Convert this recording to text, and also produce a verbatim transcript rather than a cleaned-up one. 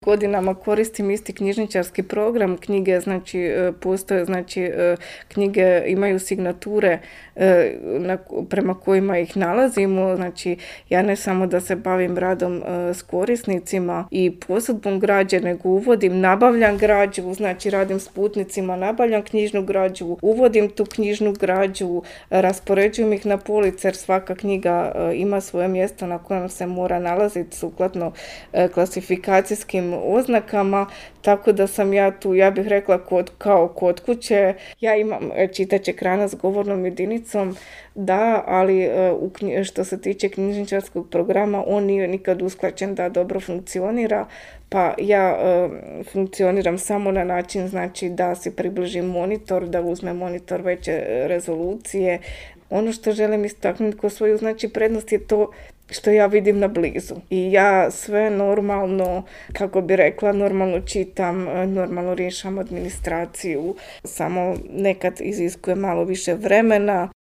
Godinama koristim isti knjižničarski program, knjige, znači, postoje, znači, knjige imaju signature na, prema kojima ih nalazimo, znači, ja ne samo da se bavim radom s korisnicima i posudbom građe, nego uvodim, nabavljam građu, znači, radim s putnicima, nabavljam knjižnu građu, uvodim tu knjižnu građu, raspoređujem ih na police, jer svaka knjiga ima svoje mjesto na kojem se mora nalaziti sukladno klasifikacijskim oznakama, tako da sam ja tu, ja bih rekla, kod, kao kod kuće. Ja imam čitač ekrana s govornom jedinicom, da, ali u, što se tiče knjižničarskog programa, on nije nikad usklađen da dobro funkcionira, pa ja e, funkcioniram samo na način, znači, da si približim monitor, da uzmem monitor veće rezolucije. Ono što želim istaknuti kao svoju, znači, prednost je to što ja vidim na blizu. I ja sve normalno, kako bi rekla, normalno čitam, normalno rješam administraciju, samo nekad iziskuje malo više vremena.